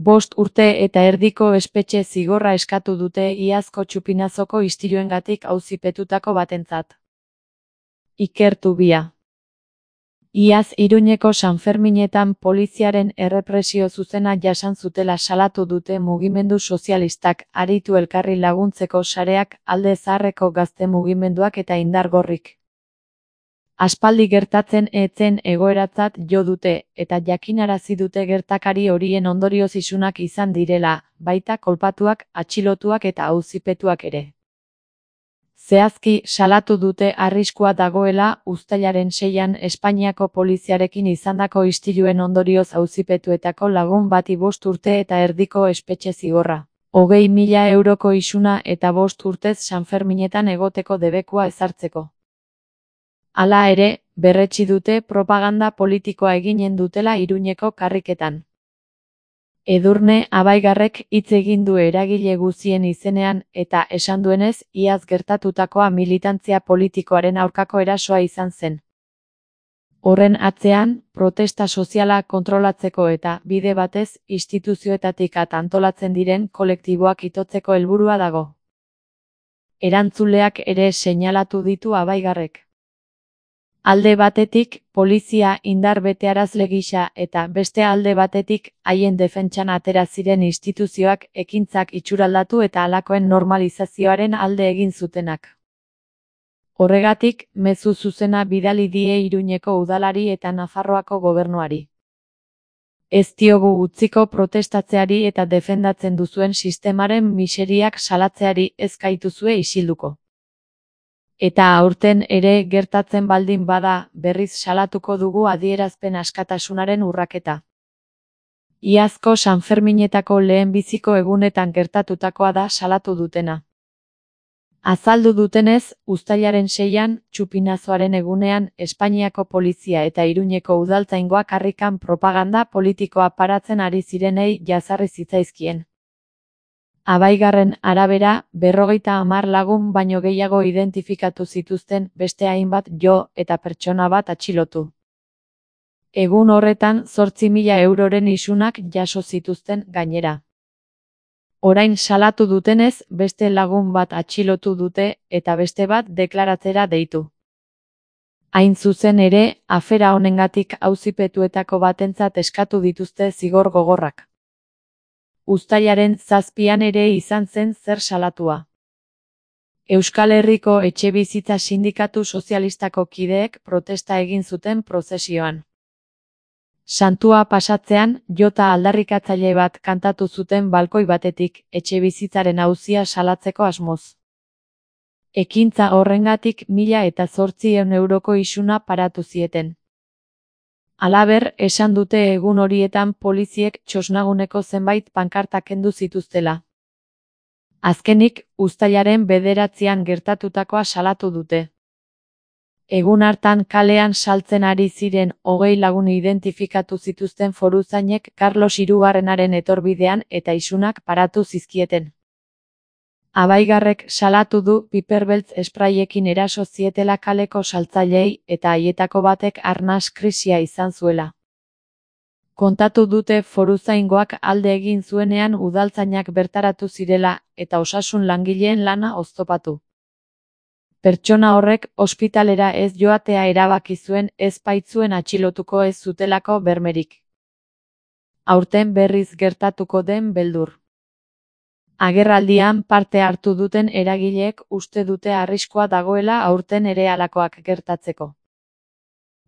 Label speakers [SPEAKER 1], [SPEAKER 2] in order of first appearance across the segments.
[SPEAKER 1] 5 urte eta erdiko espetxe zigorra eskatu dute iazko txupinazoko istiluengatik auzipetutako batentzat. Iker Tubia. Iaz Iruñeko Sanferminetan poliziaren errepresio zuzena jasan zutela salatu dute mugimendu sozialistak, aritu elkarri laguntzeko sareak, alde zaharreko gazte mugimenduak eta indar gorrik. Aspaldi gertatzen etzen egoeratzat jo dute, eta jakinarazi dute gertakari horien ondorioz isunak izan direla, baita kolpatuak, atxilotuak eta auzipetuak ere. Zehazki, salatu dute arriskua dagoela uztailaren 6an Espainiako poliziarekin izandako istiluen ondorioz auzipetuetako lagun bati 5 urte eta erdiko espetxe zigorra, 20.000 euroko isuna eta 5 urtez Sanferminetan egoteko debekua ezartzeko. Hala ere, berretsi dute propaganda politikoa eginen dutela Iruñeko karriketan. Edurne Abaigarrek hitz egin du eragile guztien izenean eta esan duenez, iaz gertatutakoa militantzia politikoaren aurkako erasoa izan zen. Horren atzean, protesta soziala kontrolatzeko eta, bide batez, instituzioetatik antolatzen diren kolektiboak itotzeko helburua dago. Erantzuleak ere seinalatu ditu Abaigarrek. Alde batetik, polizia indar betearazle gisa eta beste alde batetik, haien defentsan atera ziren instituzioak ekintzak itxuraldatu eta halakoen normalizazioaren alde egin zutenak. Horregatik, mezu zuzena bidali die Iruñeko udalari eta Nafarroako gobernuari. Ez diogu utziko protestatzeari eta defendatzen duzuen sistemaren miseriak salatzeari ez gaituzue isilduko. Eta aurten ere gertatzen baldin bada, berriz salatuko dugu adierazpen askatasunaren urraketa. Iazko Sanferminetako lehenbiziko egunetan gertatutakoa da salatu dutena. Azaldu dutenez, uztailaren 6an, txupinazoaren egunean, Espainiako polizia eta Iruñeko udaltzaingoak karrikan propaganda politikoa paratzen ari zirenei jazarri zitzaizkien. Abaigarren arabera, 50 lagun baino gehiago identifikatu zituzten, beste hainbat jo eta pertsona bat atxilotu. Egun horretan 8.000 euroren isunak jaso zituzten gainera. Orain salatu dutenez, beste lagun bat atxilotu dute eta beste bat deklaratzera deitu. Hain zuzen ere, afera honengatik auzipetuetako batentzat eskatu dituzte zigor gogorrak. Uztailaren 7an ere izan zen zer salatua. Euskal Herriko Etxebizitza Sindikatu Sozialistako kideek protesta egin zuten prozesioan. Santua pasatzean, jota aldarrikatzaile bat kantatu zuten balkoi batetik, etxebizitzaren auzia salatzeko asmoz. Ekintza horrengatik 1.800 euroko isuna paratu zieten. Halaber, esan dute egun horietan poliziek txosnaguneko zenbait pankarta kendu zituztela. Azkenik, uztailaren 9an gertatutakoa salatu dute. Egun hartan kalean saltzen ari ziren 20 lagun identifikatu zituzten foruzainek Carlos Hirugarrenaren etorbidean eta isunak paratu zizkieten. Abaigarrek salatu du piperbeltz espraiekin eraso zietela kaleko saltzaileei eta haietako batek arnas krisia izan zuela. Kontatu dute foruzaingoak alde egin zuenean udaltzainak bertaratu zirela eta osasun langileen lana oztopatu. Pertsona horrek ospitalera ez joatea erabaki zuen ez baitzuen atxilotuko ez zutelako bermerik. Aurten berriz gertatuko den beldur. Agerraldian parte hartu duten eragileek uste dute arriskua dagoela aurten ere halakoak gertatzeko.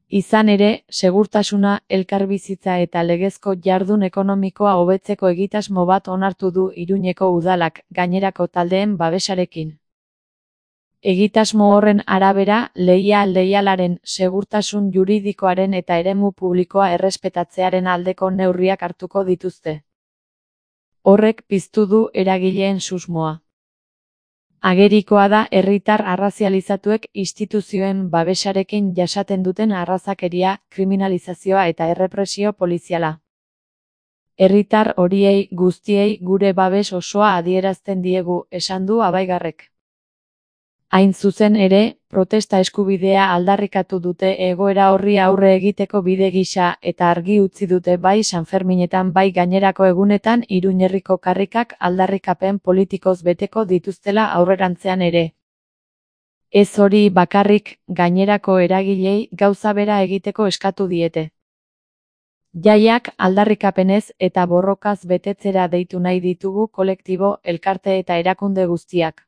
[SPEAKER 1] Izan ere, segurtasuna, elkarbizitza eta legezko jardun ekonomikoa hobetzeko egitasmo bat onartu du Iruñeko udalak, gainerako taldeen babesarekin. Egitasmo horren arabera, leialaren, segurtasun juridikoaren eta eremu publikoa errespetatzearen aldeko neurriak hartuko dituzte. Horrek piztu du eragileen susmoa. Agerikoa da herritar arrazializatuek instituzioen babesarekin jasaten duten arrazakeria, kriminalizazioa eta errepresio poliziala. Herritar horiei guztiei gure babes osoa adierazten diegu, esan du Abaigarrek. Hain zuzen ere, protesta eskubidea aldarrikatu dute egoera horri aurre egiteko bide gisa eta argi utzi dute bai Sanferminetan bai gainerako egunetan Iruñerriko karrikak aldarrikapen politikoz beteko dituztela aurrerantzean ere. Ez hori bakarrik, gainerako eragilei gauza bera egiteko eskatu diete. Jaiak aldarrikapenez eta borrokaz betetzera deitu nahi ditugu kolektibo, elkarte eta erakunde guztiak.